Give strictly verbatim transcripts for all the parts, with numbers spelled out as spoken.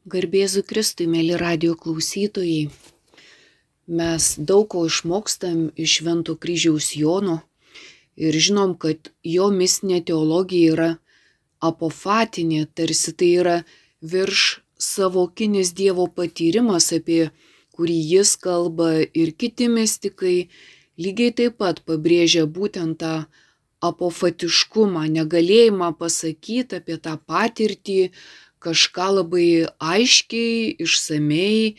Garbėzu Kristui, mėly radijo klausytojai, mes daug ko išmokstam iš Švento kryžiaus Jono ir žinom, kad jo mistinė teologija yra apofatinė, tarsi tai yra virš savokinis Dievo patyrimas, apie kurį jis kalba, ir kiti mistikai lygiai taip pat pabrėžia būtent tą apofatiškumą, negalėjimą pasakyti apie tą patirtį kažką labai aiškiai, išsamei,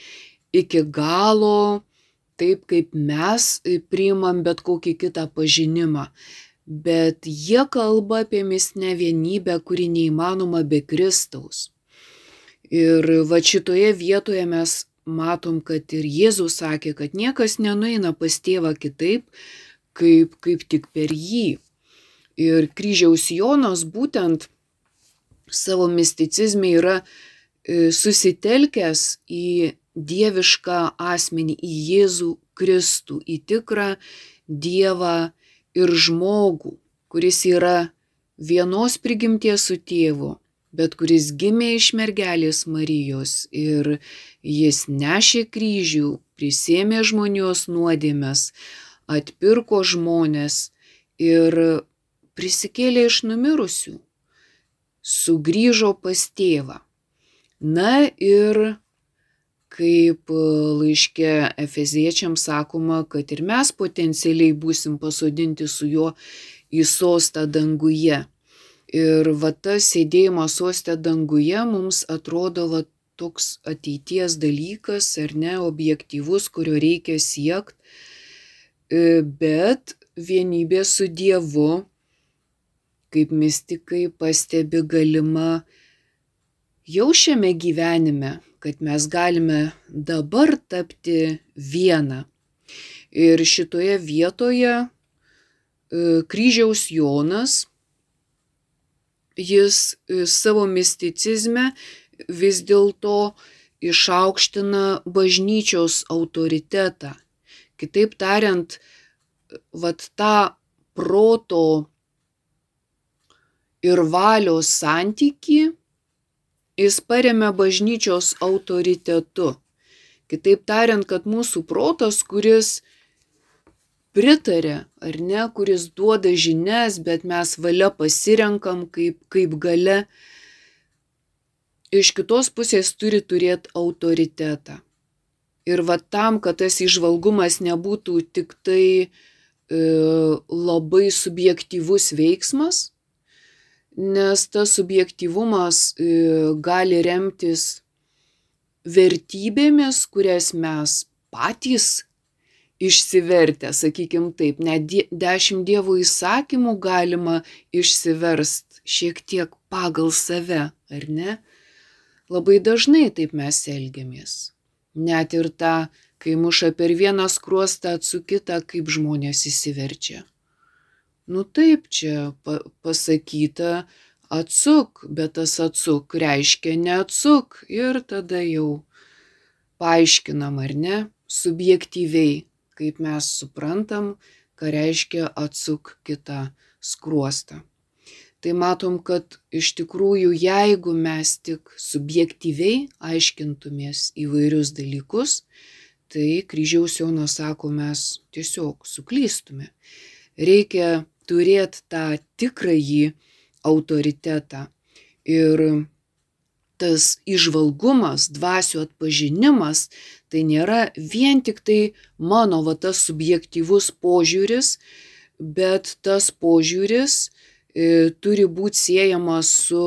iki galo, taip kaip mes priimam bet kokį kitą pažinimą. Bet jie kalba apie mistinę vienybę, kuri neįmanoma be Kristaus. Ir va šitoje vietoje mes matom, kad ir Jėzus sakė, kad niekas nenueina pas tėvą kitaip, kaip, kaip tik per jį. Ir kryžiaus Jonas būtent savo misticizme yra susitelkęs į dievišką asmenį, į Jėzų Kristų, į tikrą Dievą ir žmogų, kuris yra vienos prigimties su tėvu, bet kuris gimė iš mergelės Marijos ir jis nešė kryžių, prisėmė žmonijos nuodėmes, atpirko žmones ir prisikėlė iš numirusių, sugrįžo pas tėvą. Na ir kaip laiške Efeziečiams sakoma, kad ir mes potencialiai būsim pasodinti su juo į sostą danguje. Ir va tas sėdėjimas soste danguje mums atrodo va toks ateities dalykas, ar ne, objektyvus, kurio reikia siekti, bet vienybė su Dievu, kaip mistikai pastebi, galima jau šiame gyvenime, kad mes galime dabar tapti viena. Ir šitoje vietoje kryžiaus Jonas, jis savo misticizme vis dėlto išaukština bažnyčios autoritetą. Kitaip tariant, vat tą proto ir valios santykį jis paremia bažnyčios autoritetu. Kitaip tariant, kad mūsų protas, kuris pritarė, ar ne, kuris duoda žinias, bet mes valia pasirenkam kaip, kaip galia, iš kitos pusės turi turėti autoritetą. Ir va tam, kad tas įžvalgumas nebūtų tik tai e, labai subjektyvus veiksmas, nes tas subjektyvumas e, gali remtis vertybėmis, kurias mes patys išsivertę, sakykim taip, net dešimt Dievo įsakymų galima išsiverst šiek tiek pagal save, ar ne? Labai dažnai taip mes elgiamės. Net ir tą, kai muša per vieną skruostą atsukytą, kaip žmonės įsiverčia. Nu taip, čia pa- pasakyta atsuk, bet tas atsuk reiškia neatsuk ir tada jau paaiškinam, ar ne, subjektyviai, kaip mes suprantam, ką reiškia atsuk kitą skruostą. Tai matom, kad iš tikrųjų, jeigu mes tik subjektyviai aiškintumės įvairius dalykus, tai kryžiaus Jonas sako, mes tiesiog suklystume. Reikia turėti tą tikrąjį autoritetą. Ir tas įžvalgumas, dvasių atpažinimas, tai nėra vien tik tai mano va tas subjektyvus požiūris, bet tas požiūris e, turi būti siejamas su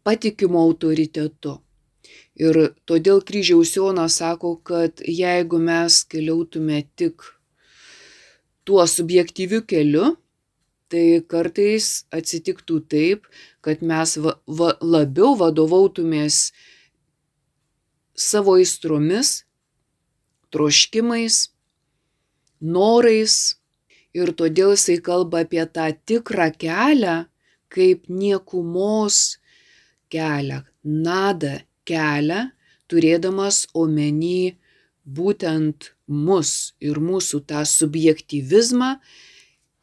patikimu autoritetu. Ir todėl kryžiaus Jonas sako, kad jeigu mes keliautume tik tuo subjektyviu keliu, tai kartais atsitiktų taip, kad mes va, va, labiau vadovautumės savo aistromis, troškimais, norais, ir todėl jisai kalba apie tą tikrą kelią, kaip niekumos kelią, nada kelią, turėdamas omeny būtent mus ir mūsų tą subjektyvizmą,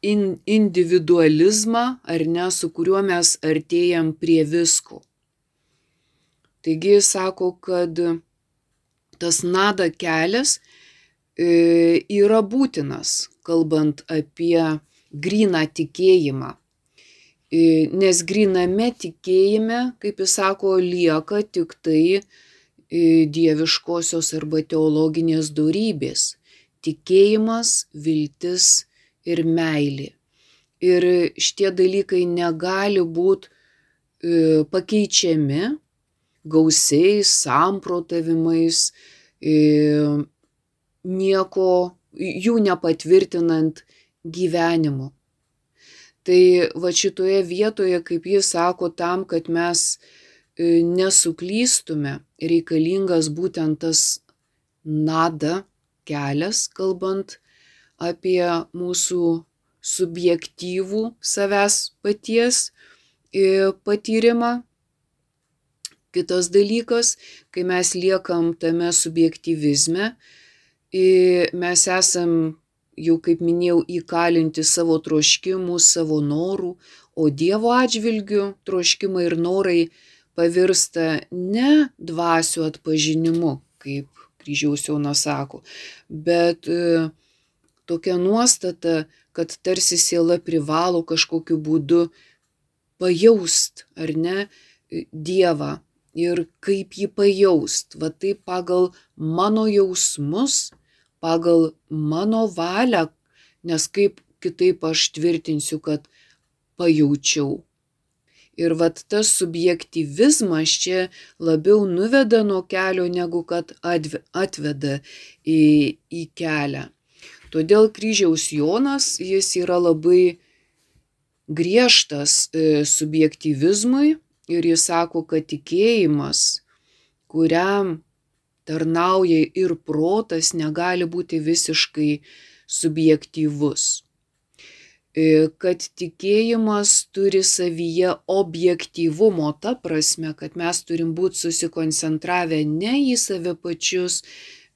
in, individualizmą, ar ne, su kuriuo mes artėjam prie visko. Taigi jis sako, kad tas nada kelias yra būtinas, kalbant apie gryną tikėjimą. Nes gryname tikėjime, kaip jis sako, lieka tik tai dieviškosios arba teologinės dorybės – tikėjimas, viltis ir meilė. Ir šitie dalykai negali būti pakeičiami gausiais samprotavimais, nieko jų nepatvirtinant gyvenimu. Tai va šitoje vietoje, kaip jis sako, tam, kad mes nesuklystume, reikalingas būtent tas nada kelias, kalbant apie mūsų subjektyvų savęs paties patyrimą. Kitas dalykas, kai mes liekam tame subjektyvizme, mes esam, jau kaip minėjau, įkalinti savo troškimų, savo norų, o Dievo atžvilgiu troškimai ir norai pavirsta ne dvasių atpažinimu, kaip Kryžiaus Jonas sako, bet tokia nuostata, kad tarsi siela privalo kažkokiu būdu pajaust, ar ne, Dievą. Ir kaip jį pajaust, va taip pagal mano jausmus, pagal mano valią, nes kaip kitaip aš tvirtinsiu, kad pajaučiau. Ir vat tas subjektyvizmas čia labiau nuveda nuo kelio, negu kad atveda į, į kelią. Todėl Kryžiaus Jonas, jis yra labai griežtas subjektyvizmui ir jis sako, kad tikėjimas, kuriam tarnauja ir protas, negali būti visiškai subjektyvus. Kad tikėjimas turi savyje objektyvumo, ta prasme, kad mes turim būti susikoncentravę ne į save pačius,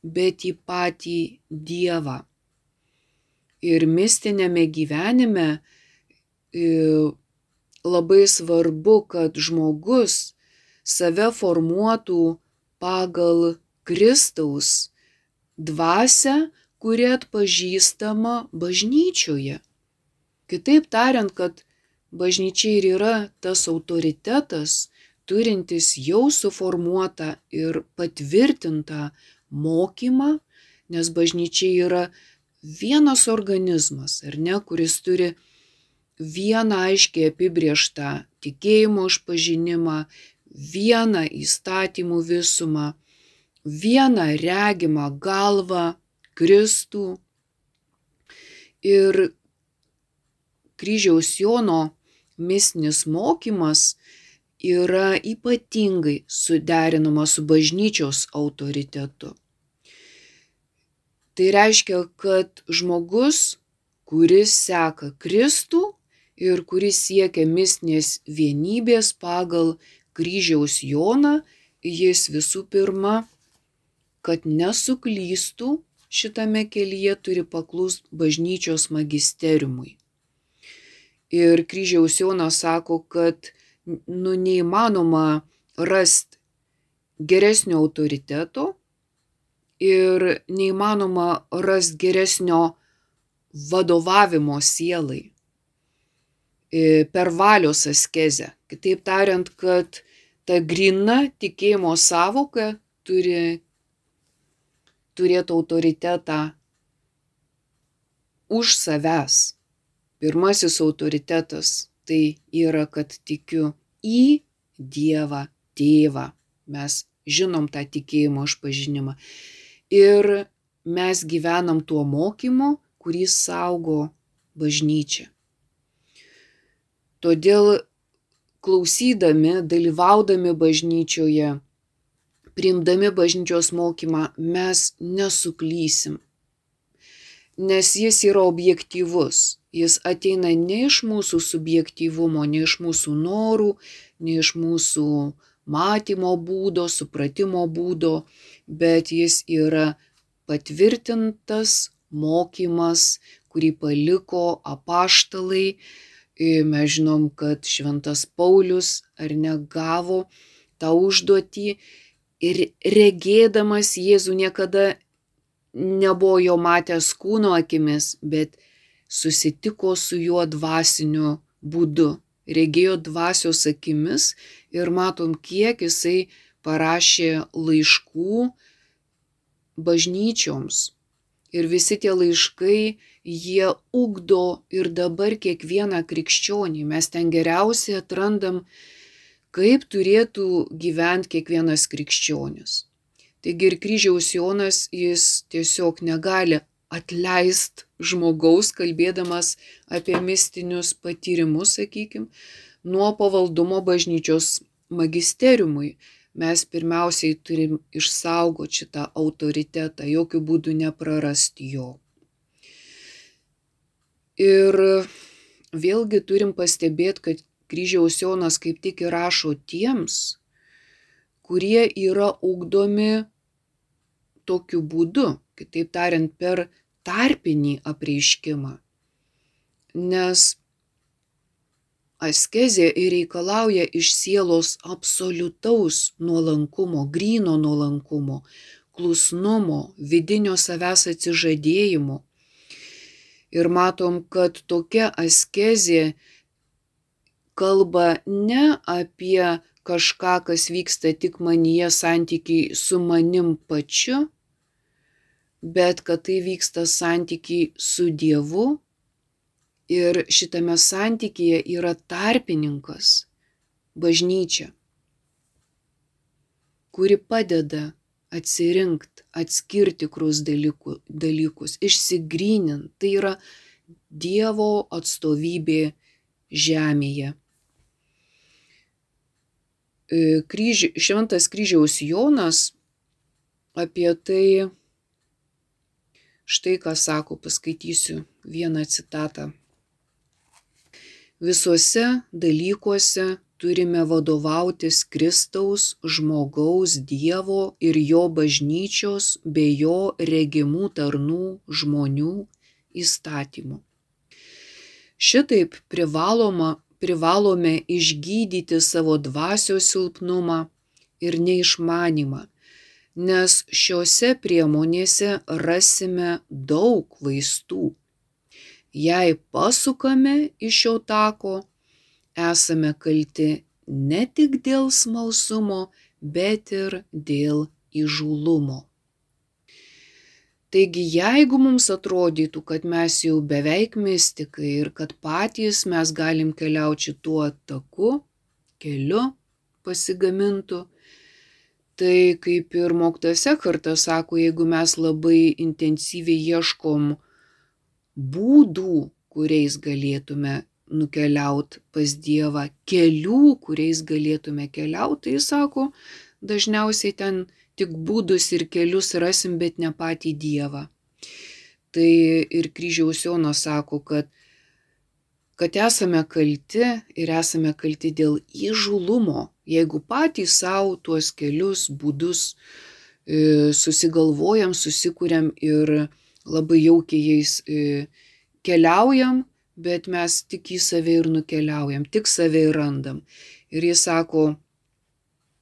bet į patį Dievą. Ir mistinėme gyvenime labai svarbu, kad žmogus save formuotų pagal Kristaus dvasią, kuri atpažįstama bažnyčioje. Kitaip tariant, kad bažnyčia ir yra tas autoritetas, turintis jau suformuotą ir patvirtintą mokymą, nes bažnyčia yra vienas organizmas, ar ne, kuris turi vieną aiškiai apibrėžtą tikėjimo išpažinimą, vieną įstatymų visumą, vieną regimą galvą, Kristų. Ir Kryžiaus Jono mistinis mokymas yra ypatingai suderinamas su bažnyčios autoritetu. Tai reiškia, kad žmogus, kuris seka Kristų ir kuris siekia mistinės vienybės pagal Kryžiaus Joną, jis visų pirma, kad nesuklystų šitame kelyje, turi paklust bažnyčios magisteriumui. Ir Kryžiaus Jonas sako, kad nu, neįmanoma rasti geresnio autoriteto ir neįmanoma rasti geresnio vadovavimo sielai per valios askezę. Kitaip tariant, kad ta gryna tikėjimo sąvoka turi turėti autoritetą už savęs. Pirmasis autoritetas tai yra, kad tikiu į Dievą Tėvą. Mes žinom tą tikėjimo išpažinimą. Ir mes gyvenam tuo mokymu, kurį saugo bažnyčia. Todėl klausydami, dalyvaudami bažnyčioje, priimdami bažnyčios mokymą, mes nesuklysim. Nes jis yra objektyvus. Jis ateina ne iš mūsų subjektyvumo, ne iš mūsų norų, ne iš mūsų matymo būdo, supratimo būdo, bet jis yra patvirtintas mokymas, kurį paliko apaštalai. Mes žinom, kad šventas Paulius ar negavo tą užduotį ir regėdamas Jėzų niekada nebuvo jo matęs kūno akimis, bet susitiko su juo dvasiniu būdu, regėjo dvasios akimis ir matom, kiek jisai parašė laiškų bažnyčioms. Ir visi tie laiškai, jie ugdo ir dabar kiekvieną krikščionį. Mes ten geriausiai atrandam, kaip turėtų gyventi kiekvienas krikščionis. Taigi ir kryžiaus Jonas, jis tiesiog negali atleist žmogaus, kalbėdamas apie mistinius patyrimus, sakykim, nuo pavaldumo bažnyčios magisteriumui. Mes pirmiausiai turim išsaugoti šitą autoritetą, jokių būdų neprarasti jo. Ir vėlgi turim pastebėti, kad kryžiaus Jonas kaip tik ir rašo tiems, kurie yra ugdomi tokiu būdu, kitaip tariant, per tarpinį apreiškimą. Nes askezė reikalauja iš sielos absoliutaus nuolankumo, gryno nuolankumo, klusnumo, vidinio savęs atsižadėjimo. Ir matom, kad tokia askezė kalba ne apie kažką, kas vyksta tik manyje, santykiai su manim pačiu, bet kad tai vyksta santykiai su Dievu. Ir šitame santykyje yra tarpininkas, bažnyčia, kuri padeda atsirinkti, atskirti tikrus dalykus, išsigrynint. Tai yra Dievo atstovybė žemėje. Kryži, šventas kryžiaus Jonas apie tai štai ką sako, paskaitysiu vieną citatą. Visuose dalykuose turime vadovautis Kristaus, žmogaus, Dievo ir jo bažnyčios bei jo regimų tarnų žmonių įstatymų. Šitaip privaloma, privalome išgydyti savo dvasios silpnumą ir neišmanymą, nes šiose priemonėse rasime daug vaistų. Jei pasukame iš šio tako, esame kalti ne tik dėl smalsumo, bet ir dėl įžūlumo. Taigi, jeigu mums atrodytų, kad mes jau beveik mistikai ir kad patys mes galim keliauti šituo taku, keliu pasigamintų, tai kaip ir mokytojas Ekhartas sako, jeigu mes labai intensyviai ieškom būdų, kuriais galėtume nukeliauti pas Dievą, kelių, kuriais galėtume keliauti, tai jis sako, dažniausiai ten tik būdus ir kelius rasim, bet ne patį Dievą. Tai ir kryžiaus Jonas sako, kad, kad esame kalti ir esame kalti dėl įžūlumo, jeigu patys savo tuos kelius, būdus e, susigalvojam, susikuriam ir labai jaukiai jais e, keliaujam, bet mes tik į save ir nukeliaujam, tik save ir randam. Ir jis sako,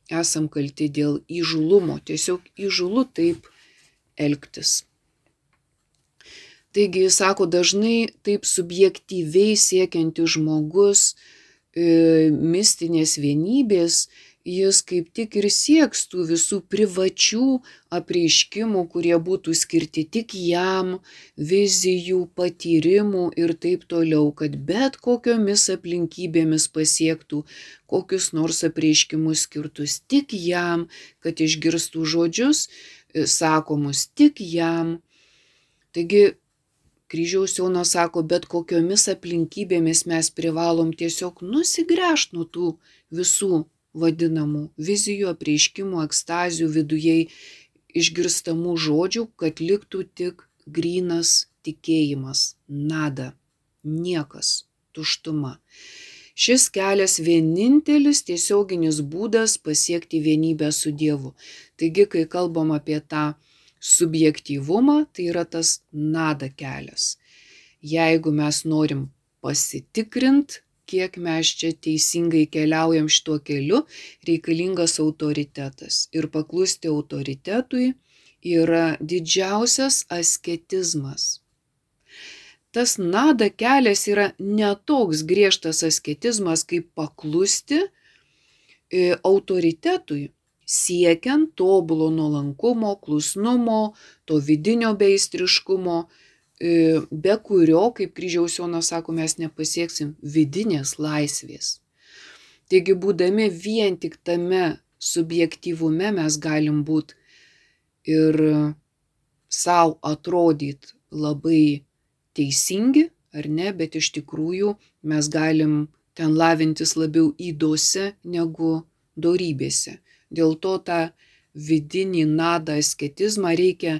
esam kalti dėl įžūlumo, tiesiog įžūlu taip elgtis. Taigi jis sako, dažnai taip subjektyviai siekiantis žmogus e, mistinės vienybės, jis kaip tik ir sieks tų visų privačių apreiškimų, kurie būtų skirti tik jam, vizijų, patyrimų ir taip toliau, kad bet kokiomis aplinkybėmis pasiektų kokius nors apreiškimus skirtus tik jam, kad išgirstų žodžius sakomus tik jam. Taigi, kryžiaus Jonas sako, bet kokiomis aplinkybėmis mes privalom tiesiog nusigręžti nuo tų visų vadinamų vizijų, apreiškimų, ekstazių, vidujei išgirstamų žodžių, kad liktų tik grynas tikėjimas, nada, niekas, tuštuma. Šis kelias vienintelis tiesioginis būdas pasiekti vienybę su Dievu. Taigi, kai kalbam apie tą subjektyvumą, tai yra tas nada kelias. Jeigu mes norim pasitikrinti, kiek mes čia teisingai keliaujam šituo keliu, reikalingas autoritetas. Ir paklusti autoritetui yra didžiausias asketizmas. Tas nada kelias yra netoks griežtas asketizmas, kaip paklusti autoritetui, siekiant tobulo nuolankumo, klusnumo, to vidinio beistriškumo, be kurio, kaip Kryžiaus Jonas sako, mes nepasieksim vidinės laisvės. Taigi, būdami vien tik tame subjektyvume, mes galim būti ir savo atrodyti labai teisingi, ar ne, bet iš tikrųjų mes galim ten lavintis labiau ydose negu dorybėse. Dėl to tą vidinį nadą asketizmą reikia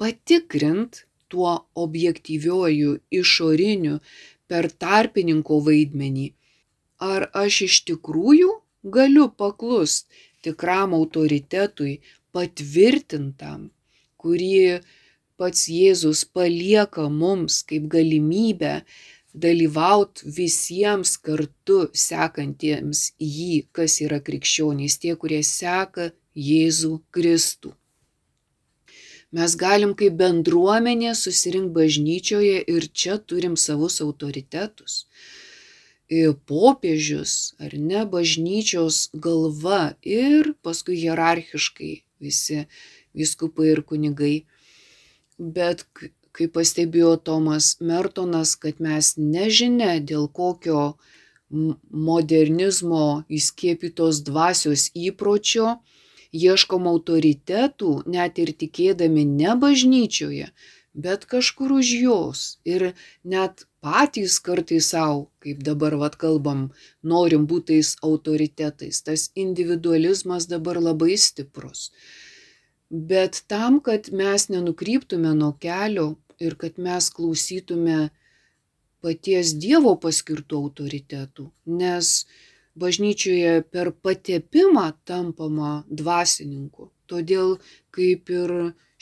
patikrint tuo objektyviuoju, išoriniu, per tarpininko vaidmenį. Ar aš iš tikrųjų galiu paklust tikram autoritetui, patvirtintam, kurį pats Jėzus palieka mums kaip galimybę dalyvaut visiems kartu sekantiems jį, kas yra krikščionys, tie, kurie seka Jėzų Kristų. Mes galim kaip bendruomenė susirinkti bažnyčioje ir čia turim savus autoritetus. Popiežius, ar ne, bažnyčios galva ir paskui hierarchiškai visi vyskupai ir kunigai. Bet kaip pastebėjo Tomas Mertonas, kad mes nežinia dėl kokio modernizmo įskiepytos dvasios įpročio ieškom autoritetų, net ir tikėdami ne bažnyčioje, bet kažkur už jos. Ir net patys kartais savo, kaip dabar vat kalbam, norim būti tais autoritetais. Tas individualizmas dabar labai stiprus. Bet tam, kad mes nenukryptume nuo kelio ir kad mes klausytume paties Dievo paskirtų autoritetų, nes bažnyčioje per patepimą tampama dvasininku. Todėl, kaip ir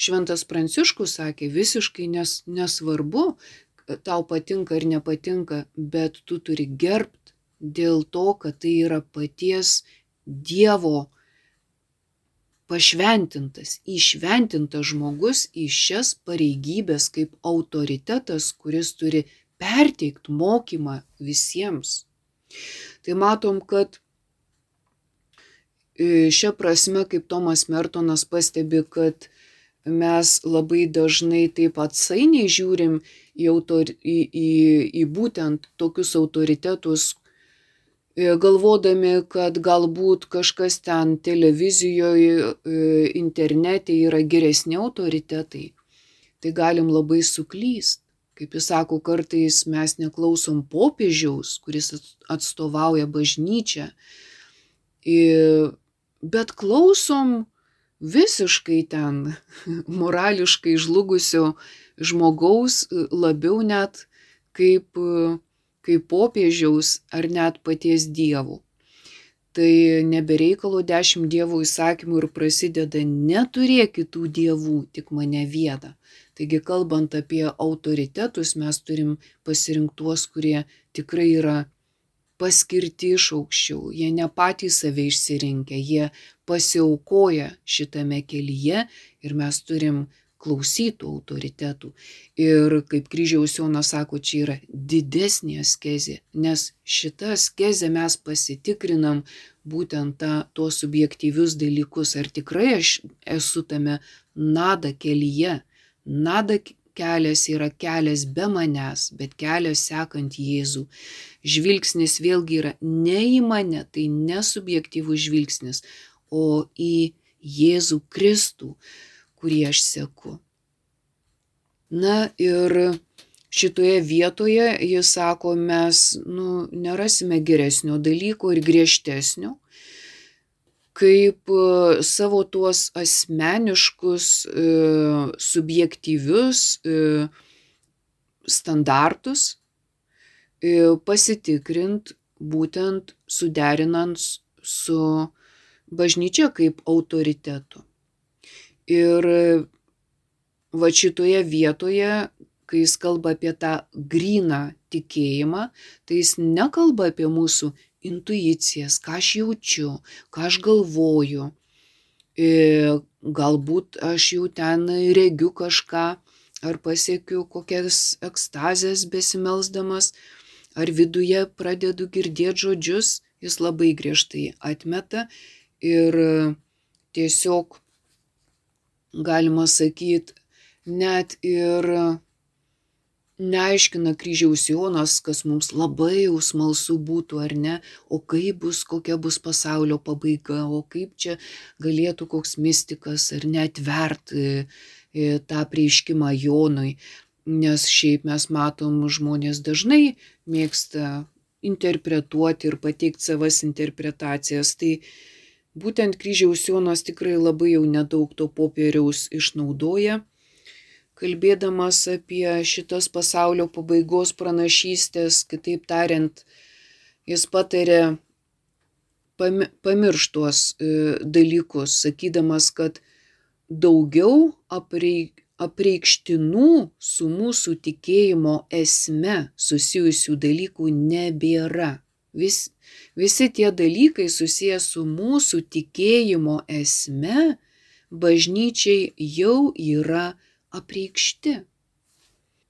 Šventas Pranciškus sakė, visiškai nes, nesvarbu, tau patinka ar nepatinka, bet tu turi gerbt dėl to, kad tai yra paties Dievo pašventintas, įšventintas žmogus į šias pareigybės kaip autoritetas, kuris turi perteikti mokymą visiems. Tai matom, kad šia prasme, kaip Tomas Mertonas pastebi, kad mes labai dažnai taip atsainiai žiūrim į, autor, į, į, į būtent tokius autoritetus, galvodami, kad galbūt kažkas ten televizijoje, internete yra geresni autoritetai. Tai galim labai suklyst. Kaip jis sako, kartais mes neklausom popiežiaus, kuris atstovauja bažnyčią, bet klausom visiškai ten morališkai žlugusio žmogaus, labiau net kaip kaip popiežiaus ar net paties Dievo. Tai nebereikalo dešimt Dievo įsakymų ir prasideda neturėk kitų dievų, tik mane vieną. Taigi, kalbant apie autoritetus, mes turim pasirinkti tuos, kurie tikrai yra paskirti iš aukščiau. Jie ne patys save išsirinkę, jie pasiaukoja šitame kelyje ir mes turim klausytų autoritetų. Ir kaip Kryžiaus Jonas sako, čia yra didesnė askezė, nes šitą askezę mes pasitikrinam būtent tą, tuos subjektyvius dalykus, ar tikrai aš esu tame nada kelyje. Nada kelias yra kelias be manęs, bet kelias sekant Jėzų. Žvilgsnis vėlgi yra ne į mane, tai nesubjektyvus žvilgsnis, o į Jėzų Kristų, kurį aš seku. Na ir šitoje vietoje jis sako, mes nu, nerasime geresnio dalyko ir griežtesnio, kaip savo tuos asmeniškus, subjektyvius standartus pasitikrint būtent suderinant su bažnyčia kaip autoritetu. Ir va šitoje vietoje kai jis kalba apie tą gryną tikėjimą, tai jis nekalba apie mūsų intuicijas, ką aš jaučiu, ką aš galvoju. E, galbūt aš jau ten regiu kažką, ar pasiekiu kokias ekstazės besimelsdamas, ar viduje pradedu girdėti žodžius, jis labai griežtai atmeta ir tiesiog, galima sakyti, net ir neaiškina kryžiaus Jonas, kas mums labai jau smalsu būtų ar ne, o kaip bus, kokia bus pasaulio pabaiga, o kaip čia galėtų koks mistikas ar neatvert tą prieiškimą Jonui, nes šiaip mes matom, žmonės dažnai mėgsta interpretuoti ir pateikti savas interpretacijas, tai būtent kryžiaus Jonas tikrai labai jau nedaug to popieriaus išnaudoja, kalbėdamas apie šitas pasaulio pabaigos pranašystės. Kitaip tariant, jis patarė pamiršti tuos dalykus, sakydamas, kad daugiau apreikštinų su mūsų tikėjimo esme susijusių dalykų nebėra. Vis, visi tie dalykai susiję su mūsų tikėjimo esme bažnyčiai jau yra apreikšti.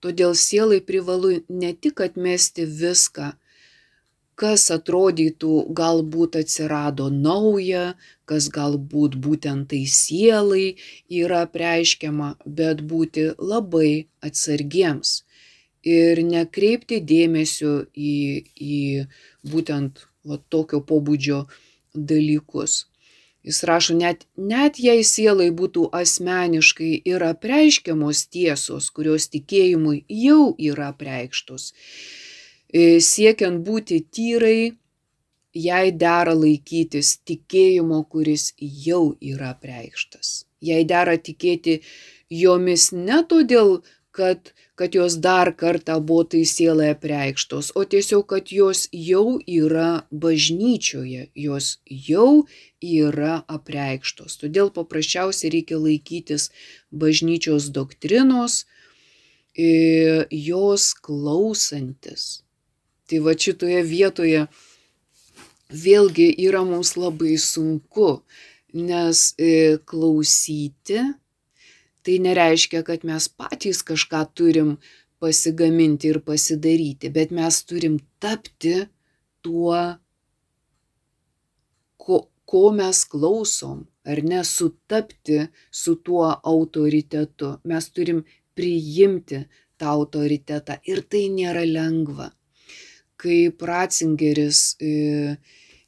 Todėl sielai privalu ne tik atmesti viską, kas atrodytų galbūt atsirado nauja, kas galbūt būtent tai sielai yra apreiškiama, bet būti labai atsargiems ir nekreipti dėmesio į, į būtent va, tokio pobūdžio dalykus. Jis rašo, net, net jei sielai būtų asmeniškai ir apreiškiamos tiesos, kurios tikėjimui jau yra apreikštos, siekiant būti tyrai, jai dera laikytis tikėjimo, kuris jau yra apreikštas. Jai dera tikėti jomis ne todėl, kad, kad jos dar kartą buvo tai sielai apreikštos, o tiesiog, kad jos jau yra bažnyčioje, jos jau yra apreikštos. Todėl paprasčiausiai reikia laikytis bažnyčios doktrinos, jos klausantis. Tai va šitoje vietoje vėlgi yra mums labai sunku, nes klausyti tai nereiškia, kad mes patys kažką turim pasigaminti ir pasidaryti, bet mes turim tapti tuo, ko, ko mes klausom, ar ne, sutapti su tuo autoritetu. Mes turim priimti tą autoritetą ir tai nėra lengva. Kaip Ratzingeris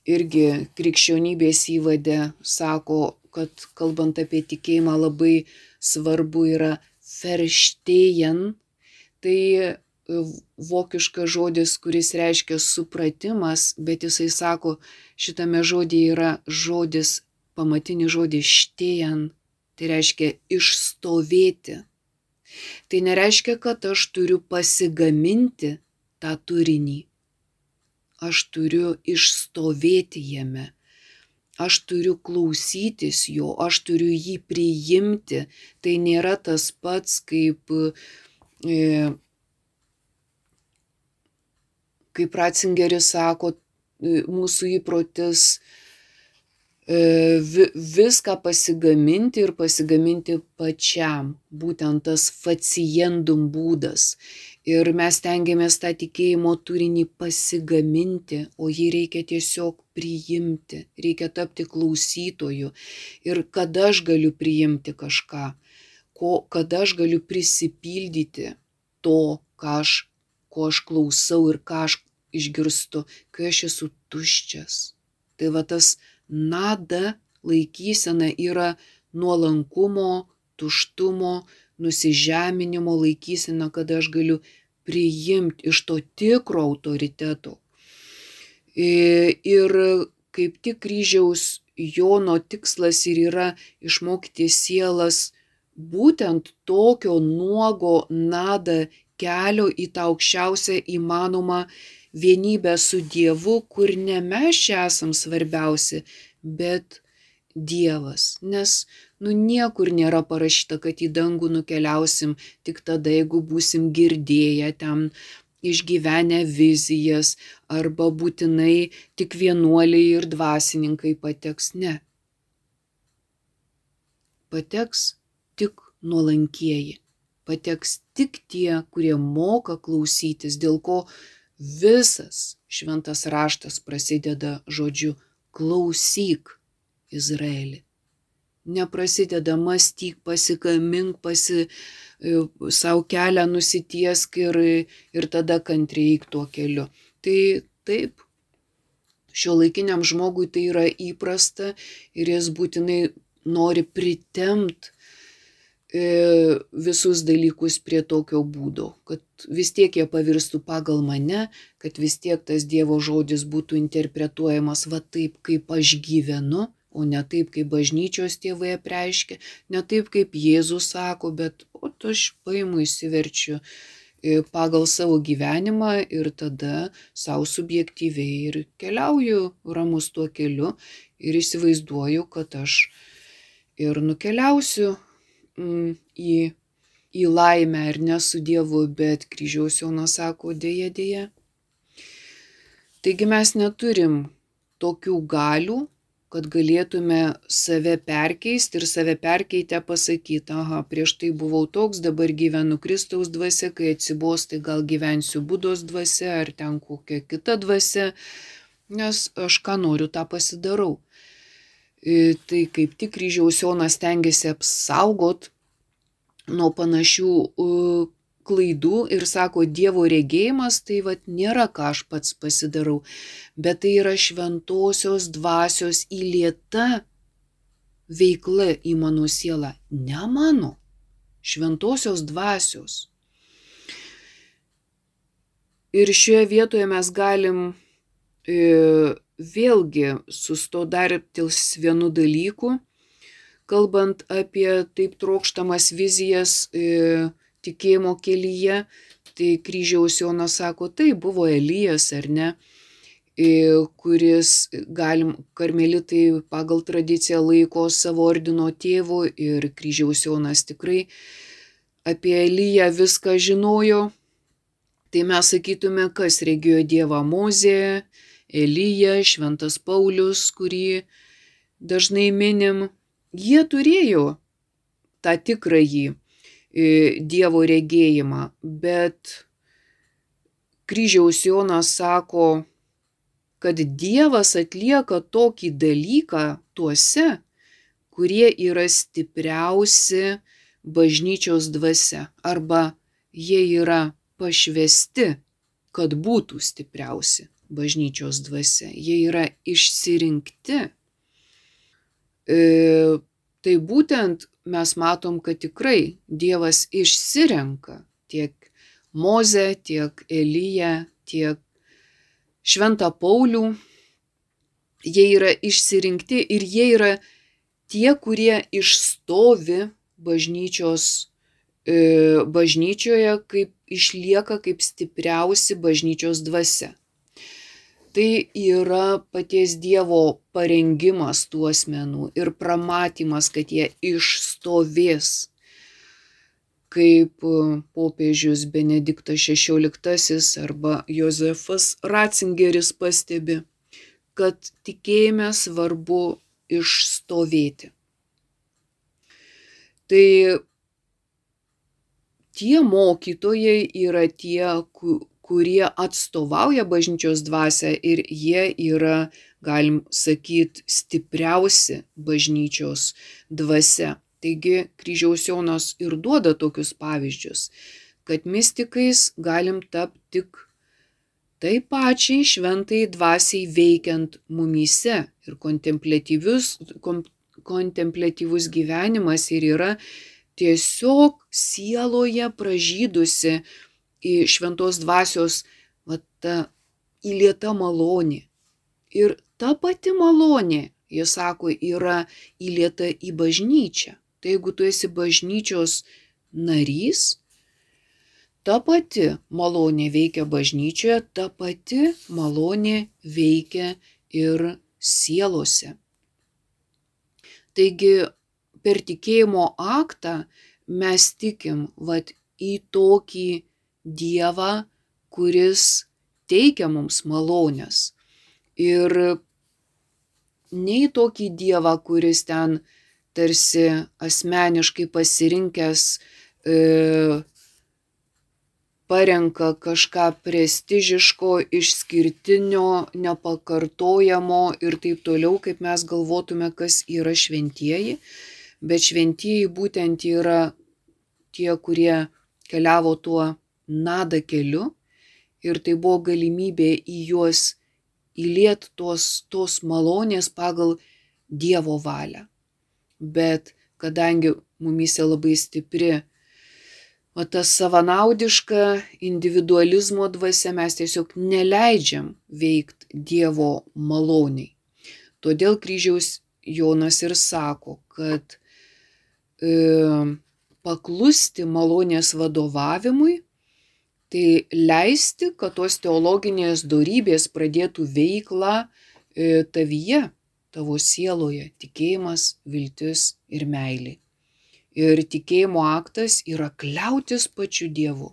irgi krikščionybės įvade sako, kad kalbant apie tikėjimą labai svarbu yra verstehen, tai vokiškas žodis, kuris reiškia supratimas, bet jisai sako, šitame žodyje yra žodis, pamatinis žodis stehen, tai reiškia išstovėti. Tai nereiškia, kad aš turiu pasigaminti tą turinį. Aš turiu išstovėti jame. Aš turiu klausytis jo, aš turiu jį priimti. Tai nėra tas pats, kaip, e, kaip Ratzingeris sako, mūsų įprotis e, vi, viską pasigaminti ir pasigaminti pačiam. Būtent tas faciendum būdas. Ir mes tengiamės tą tikėjimo turinį pasigaminti, o jį reikia tiesiog priimti, reikia tapti klausytoju. Ir kada aš galiu priimti kažką, ko, kada aš galiu prisipildyti to, ką aš, ko aš klausau ir ką aš išgirstu, kai aš esu tuščias. Tai va tas nada laikysena yra nuolankumo, tuštumo, nusižeminimo laikysena, kada aš galiu priimti iš to tikro autoriteto. Ir kaip tik kryžiaus Jono tikslas ir yra išmokyti sielas būtent tokio nuogo nada kelio į tą aukščiausią įmanomą vienybę su Dievu, kur ne mes čia esam svarbiausi, bet Dievas, nes nu niekur nėra parašyta, kad į dangų nukeliausim tik tada, jeigu būsim girdėję ten, išgyvenę vizijas, arba būtinai tik vienuoliai ir dvasininkai pateks. Ne. Pateks tik nuolankieji. Pateks tik tie, kurie moka klausytis, dėl ko visas šventas raštas prasideda žodžiu klausyk, Izraeli. Neprasideda mąstyk, pasikamink, pasi, savo kelią nusitiesk ir, ir tada kantriai eik tuo keliu. Tai taip, šiuolaikiniam žmogui tai yra įprasta ir jis būtinai nori pritempt e, visus dalykus prie tokio būdo, kad vis tiek jie pavirstų pagal mane, kad vis tiek tas Dievo žodis būtų interpretuojamas va taip, kaip aš gyvenu, o ne taip, kaip bažnyčios tėvai apreiškia, ne taip, kaip Jėzus sako, bet o aš paimu įsiverčiu pagal savo gyvenimą ir tada savo subjektyviai ir keliauju ramus tuo keliu ir įsivaizduoju, kad aš ir nukeliausiu mm, į, į laimę ir ne su Dievu, bet kryžiaus Jonas sako dėja, dėja. Taigi mes neturim tokių galių, kad galėtume save perkeisti ir save perkeitę pasakyti, aha, prieš tai buvau toks, dabar gyvenu Kristaus dvasia, kai atsibos, tai gal gyvensiu Budos dvasia ar ten kokia kita dvasia, nes aš ką noriu, tą pasidarau. E, tai kaip tik kryžiaus Jonas stengiasi apsaugot nuo panašių uh, klaidų ir sako, Dievo regėjimas tai vat nėra ką aš pats pasidarau, bet tai yra šventosios dvasios įlieta veikla į mano sielą, ne mano, šventosios dvasios. Ir šioje vietoje mes galim e, vėlgi sustoti dar ties vienu dalyku, kalbant apie taip trokštamas vizijas e, tikėjimo kelyje, tai kryžiaus Jonas sako, tai buvo Elijas ar ne, kuris galim, karmelitai pagal tradiciją laiko savo ordino tėvu ir kryžiaus Jonas tikrai apie Eliją viską žinojo, tai mes sakytume, kas regėjo Dievą Mozė, Elija, šventas Paulius, kurį dažnai minim, jie turėjo tą tikrąjį Dievo regėjimą, bet kryžiaus Jonas sako, kad Dievas atlieka tokį dalyką tuose, kurie yra stipriausi bažnyčios dvasia, arba jie yra pašvesti, kad būtų stipriausi bažnyčios dvasia, jie yra išsirinkti. E, tai būtent mes matom, kad tikrai Dievas išsirenka tiek Mozę, tiek Eliją, tiek Šventą Paulių. Jie yra išsirinkti ir jie yra tie, kurie išstovi bažnyčios, e, bažnyčioje, kaip išlieka kaip stipriausi bažnyčios dvasia. Tai yra paties Dievo parengimas tų asmenų ir pramatymas, kad jie išstovės, kaip popiežius Benediktas šešioliktasis arba Jozefas Ratzingeris pastebi, kad tikėjime svarbu išstovėti. Tai tie mokytojai yra tie, kurie atstovauja bažnyčios dvasią ir jie yra, galim sakyti, stipriausi bažnyčios dvasia. Taigi kryžiaus Jonas ir duoda tokius pavyzdžius, kad mistikais galim tapti tik taip pačiai šventai dvasiai veikiant mumyse ir kontempliatyvus, kom, kontempliatyvus gyvenimas ir yra tiesiog sieloje pražydusi į šventos dvasios va, ta įlieta malonė. Ir ta pati malonė, jis sako, yra įlieta į bažnyčią. Tai jeigu tu esi bažnyčios narys, ta pati malonė veikia bažnyčioje, ta pati malonė veikia ir sielose. Taigi per tikėjimo aktą mes tikim vat į tokį Dievą, kuris teikia mums malonės. Ir ne į tokį Dievą, kuris ten tarsi asmeniškai pasirinkęs e, parenka kažką prestižiško, išskirtinio, nepakartojamo ir taip toliau, kaip mes galvotume, kas yra šventieji. Bet šventieji būtent yra tie, kurie keliavo tuo nada keliu ir tai buvo galimybė į juos įliet tos, tos malonės pagal Dievo valią. Bet kadangi mumyse labai stipri o tas savanaudiška individualizmo dvasia, mes tiesiog neleidžiam veikt Dievo maloniai. Todėl kryžiaus Jonas ir sako, kad e, paklusti malonės vadovavimui, tai leisti, kad tos teologinės dorybės pradėtų veiklą e, tavyje, tavo sieloje, tikėjimas, viltis ir meilė. Ir tikėjimo aktas yra kliautis pačiu Dievu.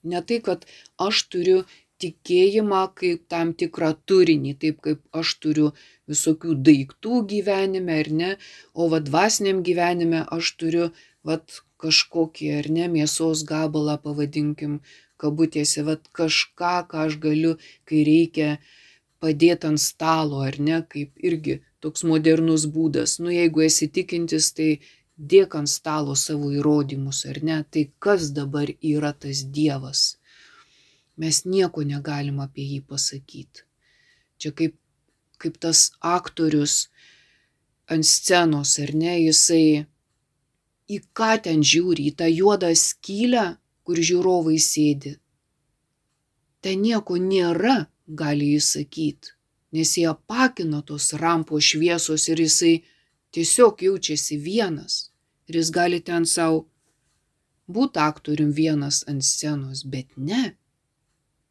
Ne tai, kad aš turiu tikėjimą kaip tam tikrą turinį, taip kaip aš turiu visokių daiktų gyvenime, ar ne, o va dvasiniam gyvenime aš turiu vat kažkokį, ar ne, mėsos gabalą, pavadinkim, kabutėse, vat kažką, ką aš galiu, kai reikia padėti ant stalo, ar ne, kaip irgi toks modernus būdas. Nu, jeigu esi tikintis, tai dėk ant stalo savo įrodymus, ar ne, tai kas dabar yra tas Dievas? Mes nieko negalim apie jį pasakyti. Čia kaip, kaip tas aktorius ant scenos, ar ne, jisai į ką ten žiūri, į tą juodą skylę, kur žiūrovai sėdi. Ten nieko nėra, gali jis sakyti, nes jie apakina tos rampos šviesos ir jisai tiesiog jaučiasi vienas. Ir jis gali ten savo būti aktorium vienas ant scenos, bet ne.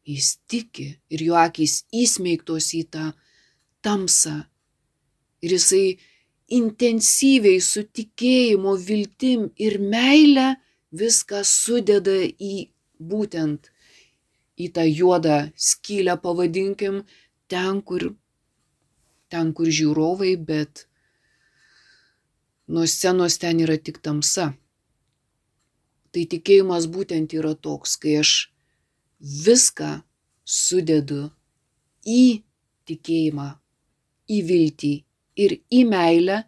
Jis tiki ir jo akys įsmeigtos į tą tamsą. Ir jisai intensyviai su tikėjimo, viltim ir meile viską sudeda į būtent į tą juodą skylę, pavadinkim, ten, kur, ten, kur žiūrovai, bet nuo scenos ten yra tik tamsa. Tai tikėjimas būtent yra toks, kai aš viską sudedu į tikėjimą, į viltį ir į meilę,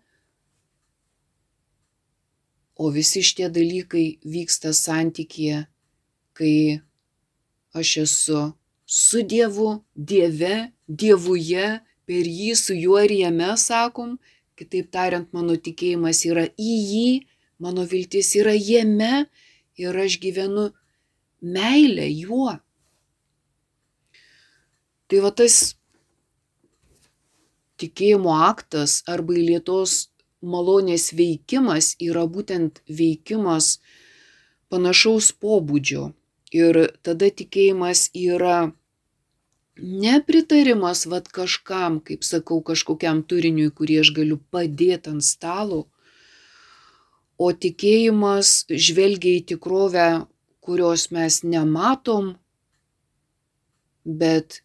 o visi šitie dalykai vyksta santykyje, kai aš esu su Dievu, Dieve, Dievuje, per jį, su juo ir jame, sakom, kitaip tariant, mano tikėjimas yra į jį, mano viltis yra jame ir aš gyvenu meilę juo. Tai va tas tikėjimo aktas arba įlietos malonės veikimas yra būtent veikimas panašaus pobūdžio. Ir tada tikėjimas yra nepritarimas vat kažkam, kaip sakau, kažkokiam turiniui, kurį aš galiu padėti ant stalo, o tikėjimas žvelgia į tikrovę, kurios mes nematom, bet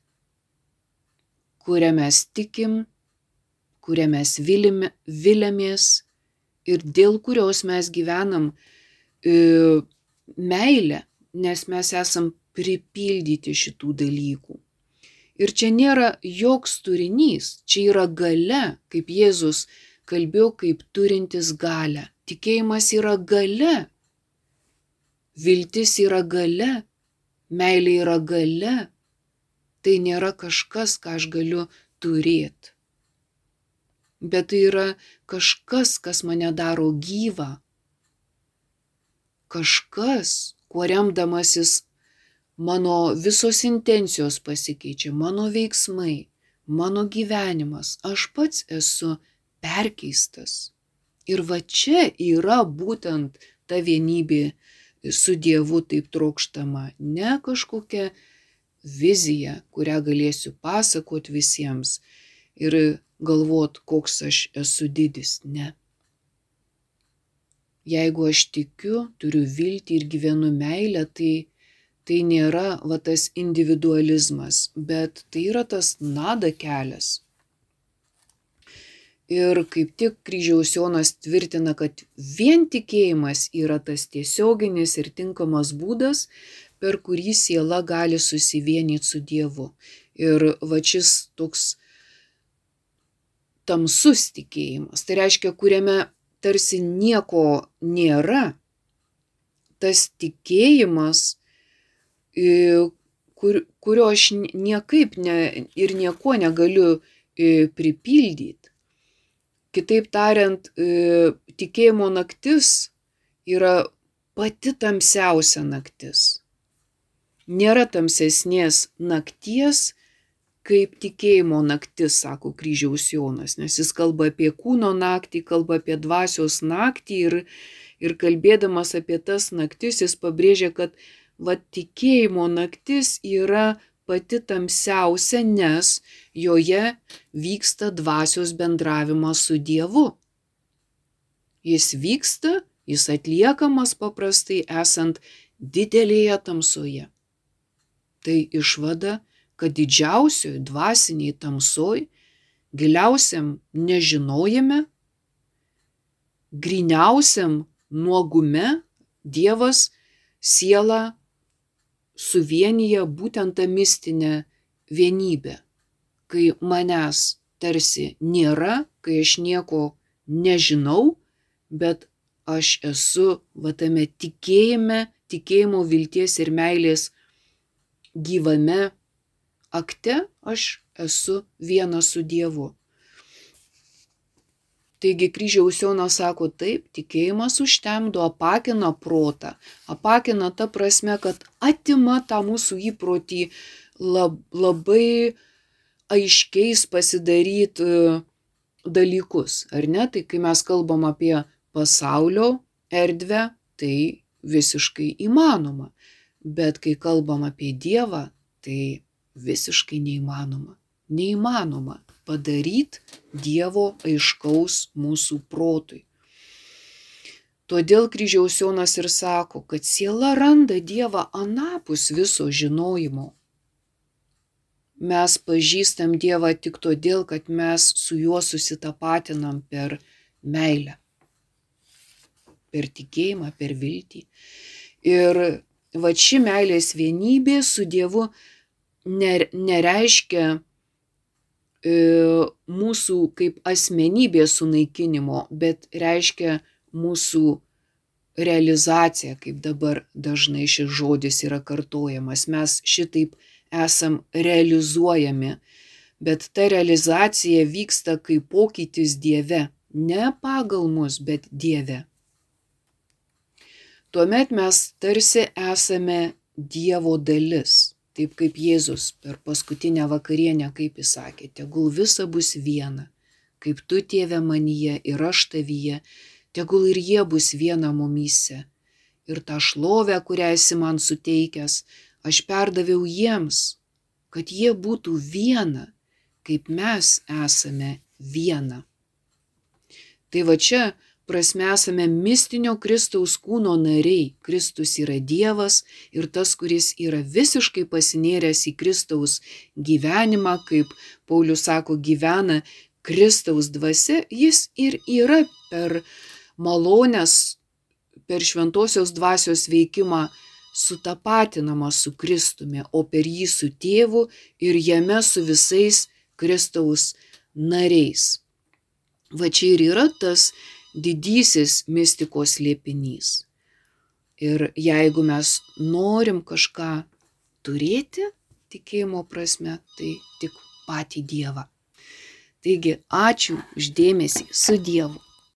kurią mes tikim, kurią mes vilime, viliamės ir dėl kurios mes gyvenam e, meilę, nes mes esam pripildyti šitų dalykų. Ir čia nėra joks turinys, čia yra galia, kaip Jėzus kalbėjo, kaip turintis galią. Tikėjimas yra galia, viltis yra galia, meilė yra galia. Tai nėra kažkas, ką aš galiu turėti. Bet tai yra kažkas, kas mane daro gyvą. Kažkas, kuo remdamasis mano visos intencijos pasikeičia, mano veiksmai, mano gyvenimas, aš pats esu perkeistas. Ir va čia yra būtent ta vienybė su Dievu taip trokštama, ne kažkokia vizija, kurią galėsiu pasakot visiems ir galvot, koks aš esu didis, ne. jeigu aš tikiu, turiu viltį ir gyvenu meilę, tai, tai nėra va, tas individualizmas, bet tai yra tas nada kelias. Ir kaip tik kryžiaus Jonas tvirtina, kad vien tikėjimas yra tas tiesioginis ir tinkamas būdas, per kurį siela gali susivienyti su Dievu. Ir va šis toks tamsus tikėjimas, tai reiškia, kuriame tarsi nieko nėra, tas tikėjimas, kur, kurio aš niekaip ne, ir nieko negaliu pripildyti. Kitaip tariant, tikėjimo naktis yra pati tamsiausia naktis. Nėra tamsesnės nakties, kaip tikėjimo naktis, sako kryžiaus Jonas, nes jis kalba apie kūno naktį, kalba apie dvasios naktį ir, ir kalbėdamas apie tas naktis, jis pabrėžia, kad va, tikėjimo naktis yra pati tamsiausia, nes joje vyksta dvasios bendravimas su Dievu. Jis vyksta, jis atliekamas paprastai esant didelėje tamsoje. Tai išvada, kad didžiausioj dvasiniai tamsoj, giliausiam nežinojime, gryniausiam nuogume Dievas sielą suvienyje būtent tą mistinę vienybę, kai manęs tarsi nėra, kai aš nieko nežinau, bet aš esu va tame tikėjime, tikėjimo, vilties ir meilės gyvame akte, aš esu vienas su Dievu. Taigi kryžiaus Jonas sako taip, tikėjimas užtemdo, apakina protą. Apakina ta prasme, kad atima tą mūsų įprotį lab, labai aiškiais pasidaryti dalykus, ar ne? Tai kai mes kalbam apie pasaulio erdvę, tai visiškai įmanoma. Bet kai kalbam apie Dievą, tai visiškai neįmanoma. Neįmanoma padaryti Dievo aiškaus mūsų protui. Todėl kryžiaus Jonas ir sako, kad siela randa Dievą anapus viso žinojimo. Mes pažįstam Dievą tik todėl, kad mes su juo susitapatinam per meilę, per tikėjimą, per viltį. Ir va ši meilės vienybė su Dievu nereiškia mūsų kaip asmenybės sunaikinimo, bet reiškia mūsų realizaciją, kaip dabar dažnai šis žodis yra kartojamas. Mes šitaip esam realizuojami, bet ta realizacija vyksta kaip pokytis Dieve, ne pagal mus, bet Dieve. Tuomet mes tarsi esame Dievo dalis. Taip kaip Jėzus per paskutinę vakarienę, kaip jis sakė, tegul visa bus viena, kaip tu, Tėve, manyje ir aš tavyje, tegul ir jie bus viena mumyse. Ir tą šlovę, kurią esi man suteikęs, aš perdaviau jiems, kad jie būtų viena, kaip mes esame viena. Tai va čia prasme esame mistinio Kristaus kūno nariai. Kristus yra Dievas ir tas, kuris yra visiškai pasinėręs į Kristaus gyvenimą, kaip Paulius sako, gyvena Kristaus dvasia, jis ir yra per malonės, per šventosios dvasios veikimą sutapatinamas su Kristumi, o per jį su Tėvu ir jame su visais Kristaus nariais. Va čia ir yra tas didysis mistikos slėpinys. Ir jeigu mes norim kažką turėti tikėjimo prasme, tai tik patį Dievą. Taigi, ačiū už dėmesį, su Dievu.